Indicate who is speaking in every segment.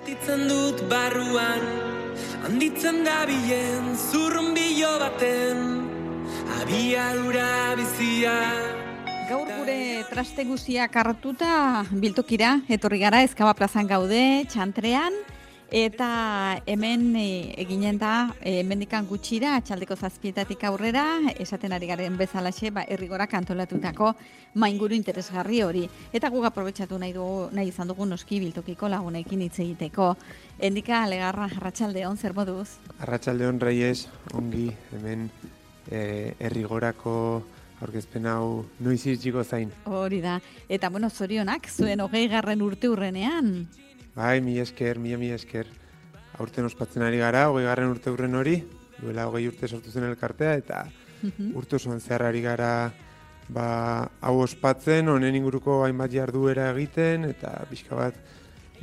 Speaker 1: Sentitzen dut barruan, handitzen da bilen zurrunbilo baten, abiadura bizia.
Speaker 2: Gaur gure traste guztiak hartuta biltokira, etorri gara, Ezkaba plazan gaude, Txantrean, eta hemen eginen da, hemendikan gutxira, txaldeko 7:00 aurrera, esaten ari garen bezalaxe, herrigorak antolatutako mainguru interesgarri hori. Eta guk aprobetxatu nahi izan dugu noski biltokiko lagunekin hitz egiteko. Endika Legarra, arratsaldeon, zer moduz?
Speaker 3: Arratsaldeon, Reyes, ongi, hemen herrigorako aurkezpen hau noiz iritsiko zain.
Speaker 2: Hori da. Eta bueno, zorionak, zuen 20. urte urrenean.
Speaker 3: Bai, mila esker. Aurten ospatzen ari gara, 20. urte urren hori, duela 20 urte sortu zen elkartea, eta urte osoan zehar ari gara hau ospatzen, honen inguruko hainbat jarduera egiten, eta pixka bat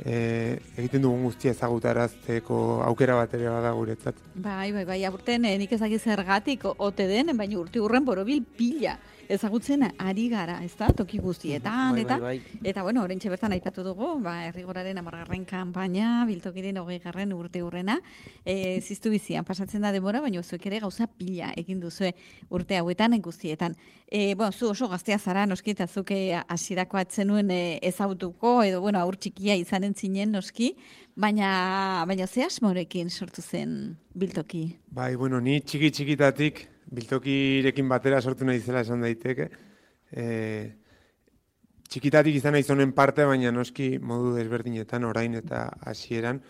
Speaker 3: egiten dugun guztia ezagutarazteko aukera bat ere bada guretzat.
Speaker 2: Bai, aurten nik ezagik zergatik ote den, baina urte urren borobil pila ezagutzen ari gara, ez da, toki guztietan, eta bueno, oraintxe bertan aipatu dugu, herrigoraren 10. kanpaina, biltokiren 20. urte urrena, ziztu bizian, pasatzen da denbora, baina zuek ere gauza pila egin duzue urte hauetan guztietan. Zu oso gaztea zara, noski, eta zuke hasierako atzenuen ezagutuko, edo, aur txikia izanen zinen, noski, baina ze asmorekin sortu zen biltoki?
Speaker 3: Bai, ni txikitatik biltokirekin batera sortu nahi zela esan daiteke. Txikitatik izan nahi zonen parte, baina noski modu desberdinetan, orain eta hasieran.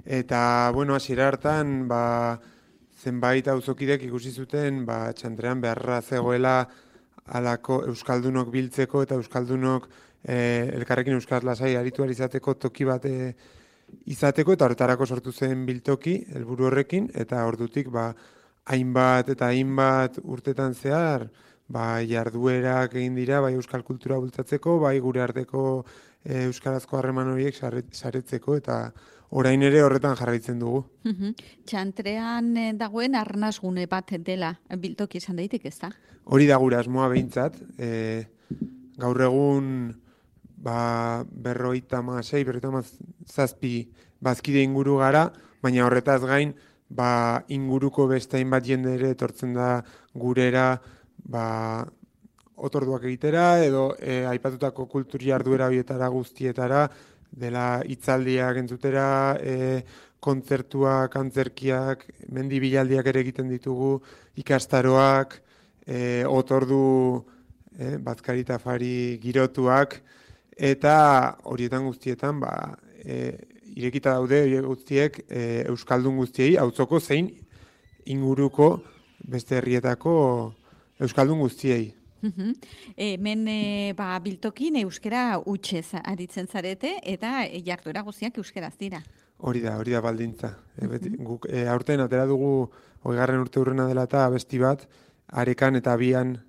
Speaker 3: Eta, hasiera hartan, zenbait auzokidek ikusi zuten, Txantrean beharra zegoela alako euskaldunok biltzeko eta euskaldunok elkarrekin euskaraz lasai aritu izateko toki bat izateko, eta horretarako sortu zen biltoki, helburu horrekin, eta ordutik hainbat eta hainbat urtetan zehar, jarduerak egin dira, euskal kultura bultzatzeko, gure arteko euskarazko harreman horiek saretzeko, eta orain ere horretan jarraitzen dugu.
Speaker 2: Txantrean dagoen arnasgune bat dela biltoki esan daitek, ez da?
Speaker 3: Hori da gure asmoa behintzat. Gaur egun 57 bazkide inguru gara, baina horretaz gain, inguruko beste hainbat jende ere etortzen da gurera otorduak egitera, edo aipatutako kultur jarduera horietara guztietara, dela hitzaldiak entzutera, kontzertuak, antzerkiak, mendi bilaldiak ere egiten ditugu, ikastaroak, otordu bazkari eta afari girotuak, eta horietan guztietan irekita daude guztiek euskaldun guztiei, auzoko zein inguruko beste herrietako euskaldun guztiei.
Speaker 2: Hemen biltokin euskera hutsez aritzen zarete, eta jarduera guztiak euskeraz dira.
Speaker 3: Hori da baldintza. Guk aurten atera dugu 20. urte urrena dela eta abesti bat, Arekan eta Bian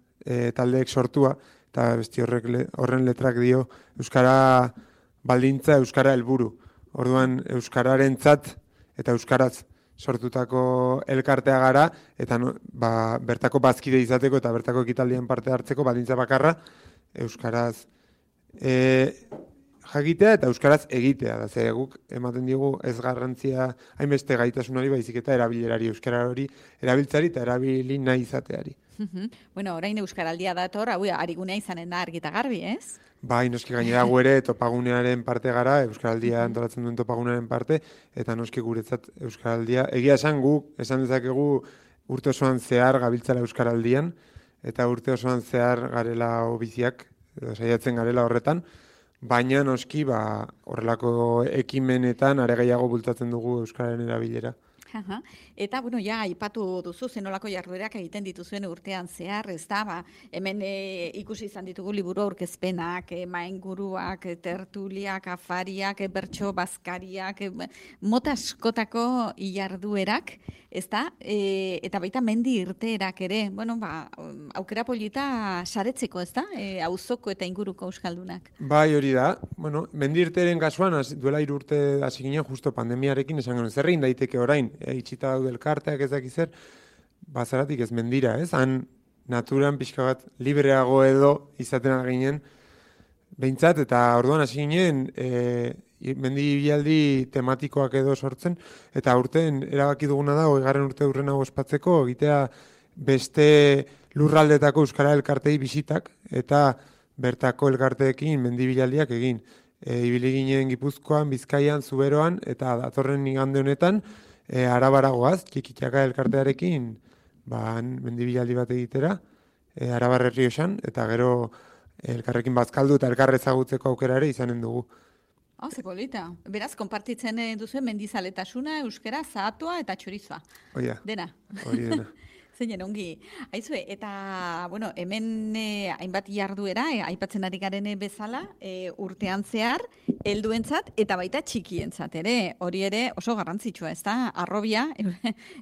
Speaker 3: taldeek sortua, eta abesti horren letrak dio euskara baldintza, euskara helburu. Orduan euskararentzat eta euskaraz sortutako elkartea gara, eta bertako bazkide izateko eta bertako ekitaldian parte hartzeko baldintza bakarra euskaraz jakitea eta euskaraz egitea. Ze guk ematen digu ez garrantzia hainbeste gaitasun hori, baizik eta erabilerari, euskara hori erabiltzari eta erabili nahi izateari.
Speaker 2: Orain euskaraldia dator, arigunea izanen da argi eta garbi, ez?
Speaker 3: Bai, noski gainera gu ere topagunearen parte gara, euskaraldia antolatzen duen topagunearen parte, eta noski guretzat euskaraldia. Egia esan esan dezakegu urte osoan zehar gabiltzala euskaraldian, eta urte osoan zehar garela obiziak, edo saiatzen garela horretan, baina noski horrelako ekimenetan are gehiago bultatzen dugu euskararen erabilera.
Speaker 2: Eta, aipatu duzu zenolako jarduerak egiten dituzuen urtean zehar, ez da, hemen ikusi izan ditugu liburu aurkezpenak, mainguruak, tertuliak, afariak, bertso bazkariak, mota askotako jarduerak, ez da, eta baita mendi irteerak ere, aukera polita saretzeko, ez da, auzoko eta inguruko euskaldunak.
Speaker 3: Bai, hori da, mendi irteeren kasuan, duela 3 urte hasi ginen, justo pandemiarekin esan genuen, zerrein daiteke orain, itxita daude elkarteak ez dakiz zer, bazaratik ez mendira, ez? Han naturan pixka bat libreago edo izaten ginen behintzat, eta orduan hasi ginen mendibilaldi tematikoak edo sortzen, eta aurten erabaki duguna da, 20. urte urrena ospatzeko, egitea beste lurraldetako euskara elkartei bisitak, eta bertako elkarteekin mendibilaldiak egin. Ibili ginen Gipuzkoan, Bizkaian, Zuberoan, eta datorren igande honetan, Arabaragoaz, Txikitxaka elkartearekin, mendibilaldi bat egitera, Arabar Errioxan, eta gero elkarrekin bazkaldu eta elkarrezagutzeko aukera ere izanen dugu.
Speaker 2: Ze polita. Beraz, konpartitzen duzu mendizaletasuna, euskera, zahatua eta txorizoa. Dena.
Speaker 3: Hori dena.
Speaker 2: Zeinen ongi. Aizue, eta, bueno, hemen hainbat jarduera, aipatzen ari garen bezala, urtean zehar, helduentzat eta baita txikientzat ere. Hori ere oso garrantzitsua, ez da? Arrobia,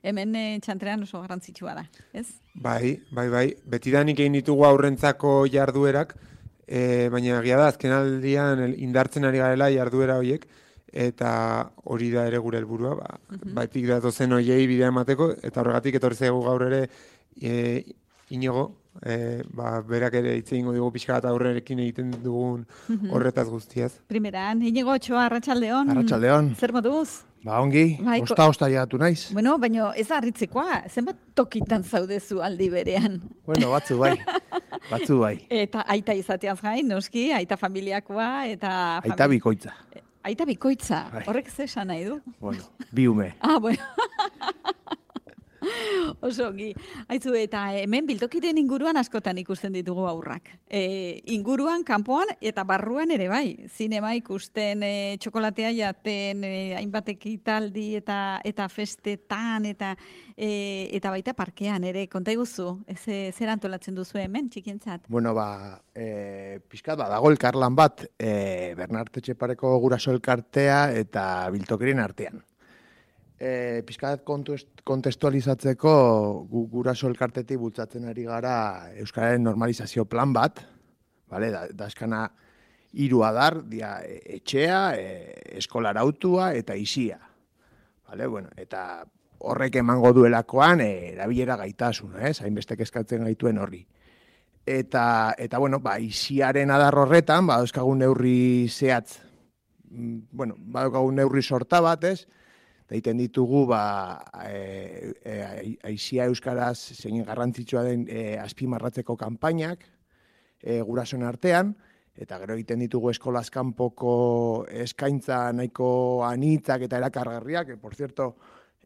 Speaker 2: hemen txantrean oso garrantzitsua da, ez?
Speaker 3: Bai. Betidanik egin ditugu aurrentzako jarduerak, baina egia da, azken aldian indartzen ari garela jarduera horiek, eta hori da ere gure helburua, baitik datozen hoiei bidea emateko, eta horregatik etorri zaigu gaur ere Inigo, berak ere hitz egingo dugu pixka bat aurrerekin egiten dugun horretaz guztiaz.
Speaker 2: Primeran, Inigo Otxoa, arratsaldeon.
Speaker 4: Arratsaldeon.
Speaker 2: Zer moduz?
Speaker 4: Ongi, osta llegatu naiz.
Speaker 2: Bueno, baina ez da harritzekoa, zenbat tokitan zaudezu aldi berean.
Speaker 4: Bueno, batzu bai.
Speaker 2: Eta aita izateaz gain, noski, aita familiakoa, eta...
Speaker 4: Aita bikoitza.
Speaker 2: Aita bikoitza, horrek ze esan nahi du?
Speaker 4: Bueno, bi ume.
Speaker 2: Bueno. Oso ongi. Aizu, eta hemen biltokiren inguruan askotan ikusten ditugu aurrak. Inguruan, kanpoan eta barruan ere bai. Zinema ikusten, txokolatea jaten, hainbat ekitaldi eta festetan, eta baita parkean ere. Konta iguzu, zer antolatzen duzu hemen, txikientzat?
Speaker 4: Bueno, pixkat dago elkarlan bat, Bernarte Etxepareko guraso elkartea eta biltokiren artean. Pixkat kontestualizatzeko guraso elkartetik bultzatzen ari gara euskararen normalizazio plan bat, daskana 3 adar, etxea, eskolarautua eta isia. Eta horrek emango duelakoan erabilera gaitasuna, hainbestek eskatzen gaituen horri. Eta isiaren adar horretan, dauzkagun neurri zehatz, dauzkagun neurri sorta bat, eta egiten ditugu aisia euskaraz zein garrantzitsua den azpimarratzeko kanpainak gurasoen artean, eta gero egiten ditugu eskolaz kanpoko eskaintza nahiko anitzak eta erakargarriak, por cierto,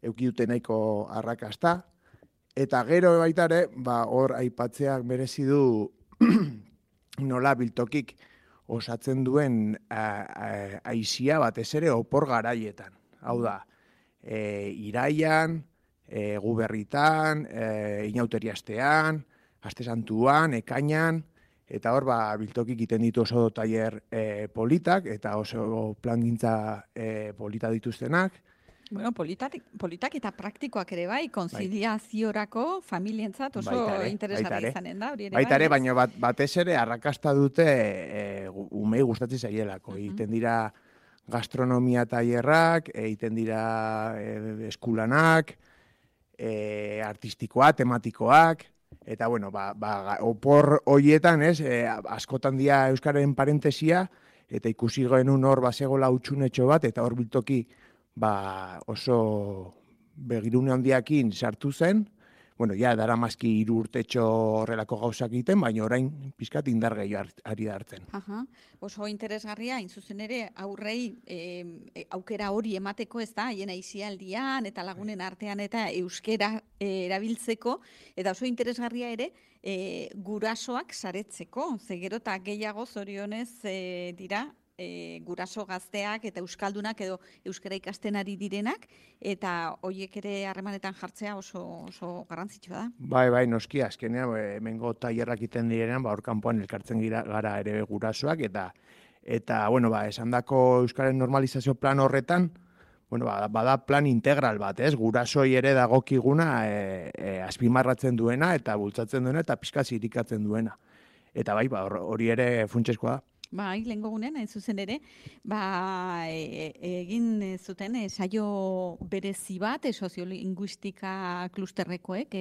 Speaker 4: eduki dute nahiko arrakasta, eta gero baita ere, hor aipatzeak merezi du nola biltokik osatzen duen aisia batez ere opor garaietan. Hau da, iraian, guberritan, inauteriastean, aste santuan, ekainan, eta hor biltokik egiten ditu oso tailer politak, eta oso plangintza polita dituztenak.
Speaker 2: Bueno, politak eta praktikoak ere bai, konziliaziorako familientzat oso interesgarri izanen da.
Speaker 4: Baita ere, baina batez ere arrakasta dute umei gustatzen zaielako. Egiten dira gastronomia tailerrak, egiten dira eskulanak, artistikoak, tematikoak, eta opor horietan, askotan dira euskararen parentesia, eta ikusi genuen hor basegola utxunetxo bat, eta hor biltoki oso begirune handiakin sartu zen, dara mazki 3 urtetxo horrelako gauzak egiten, baina orain pizkat indar gehiago ari da hartzen.
Speaker 2: Oso interesgarria, zuzen ere, aurrei aukera hori emateko, ez da, haien aisialdian eta lagunen artean eta euskera erabiltzeko, eta oso interesgarria ere, gurasoak saretzeko, zegero eta gehiago zorionez dira, guraso gazteak eta euskaldunak edo euskara ikasten ari direnak, eta horiek ere harremanetan jartzea oso garrantzitsua da.
Speaker 4: Bai, noski, azkenean, hemengo tailerrak iten direnean, hor kanpoan elkartzen gara ere gurasoak, eta esandako euskaren normalizazio plan horretan, bada plan integral bat, gurasoi ere dagokiguna azpimarratzen duena, eta bultzatzen duena, eta pixka zirikatzen duena. Eta hori ere funtsezkoa da.
Speaker 2: Bai, lehengo gunean, hain zuzen ere, egin zuten saio berezi bat, soziolinguistika klusterrekoek,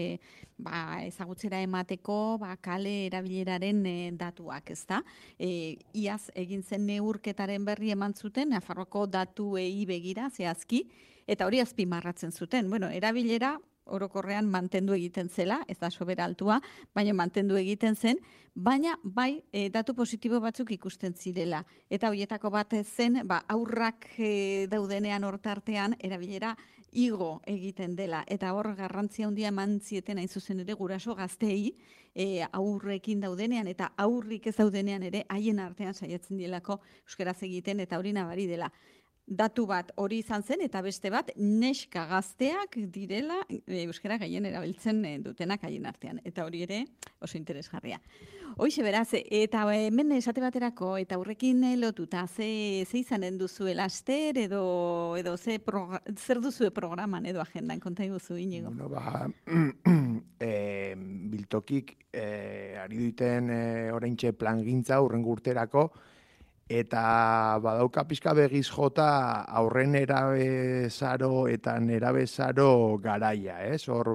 Speaker 2: ezagutzera emateko, kale erabileraren datuak, ezta? Iaz egin zen neurketaren berri eman zuten, Nafarroako datuei begira, zehazki, eta hori azpimarratzen zuten. Bueno, erabilera orokorrean mantendu egiten zela, ez da sobera altua, baina mantendu egiten zen, baina bai datu positibo batzuk ikusten zirela. Eta horietako bat zen, aurrak daudenean hortartean erabilera igo egiten dela. Eta hor garrantzia handia eman zieten hain zuzen ere guraso gazteei, aurrekin daudenean eta aurrik ez daudenean ere haien artean saiatzen dielako euskaraz egiten eta hori nabari dela. Datu bat hori izan zen, eta beste bat neska gazteak direla euskara gehien erabiltzen dutenak haien artean. Eta hori ere oso interesgarria. Hoixe beraz, eta hemen esate baterako, eta aurrekin lotuta, ze izanen duzue laster, edo zer duzue programan edo agendan, konta iguzu, Inigo?
Speaker 4: Bueno, biltokik ari duten oraintxe plangintza urrengo urterako, eta badauka pixka begiz jota aurren erabezaro eta nerabezaro garaia, ez? Hor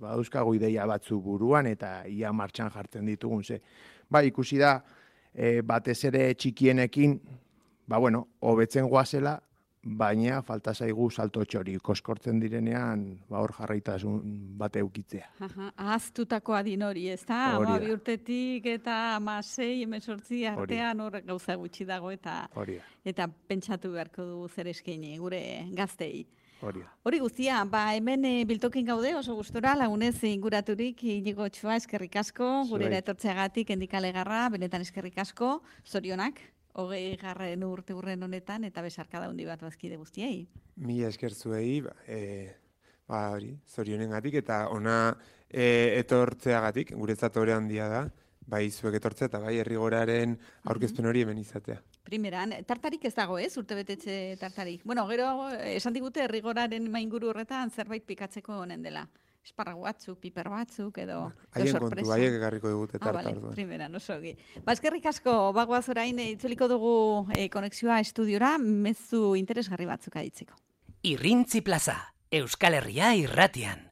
Speaker 4: badauzkago ideia batzu buruan eta ia martxan jartzen ditugun, ze. Ikusi da, batez ere txikienekin, hobetzen goazela, baina falta zaigu salto txori, koskortzen direnean, hor jarraitasun bate eukitzea.
Speaker 2: Ahaztutako adin hori, ez da? 12 urtetik eta 16, 18 artean hor gauza gutxi dago eta pentsatu beharko du zer eskaini gure gaztei. Hori guztia, hemen biltokin gaude oso gustora, lagunez inguraturik, Inigo Ochoa, eskerrik asko, gurera etortzeagatik Endikalegarra, benetan eskerrik asko, zorionak. 20. urte urren honetan, eta besarkada handi bat bazkide guztiei.
Speaker 3: Mila esker zuei, zorionengatik, eta ona etortzeagatik, guretzat hori handia da, bai zuek etortzea, eta bai herrigoraren aurkezpen hori hemen izatea.
Speaker 2: Primeran, tartarik ez dago, ez? Urtebetetxe tartarik. Bueno, gero, esan digute herrigoraren mainguru horretan zerbait pikatzeko honen dela. Esparrago batzuk, piper batzuk, edo
Speaker 3: sorpresa. Haien kontu, haiek egarriko digute tartar.
Speaker 2: Primeran, oso gi. Eskerrik asko, bagoaz orain, itzuliko dugu konexioa estudiora, mezu interesgarri batzuk aditzeko.
Speaker 5: Irrintzi plaza, Euskal Herria irratian.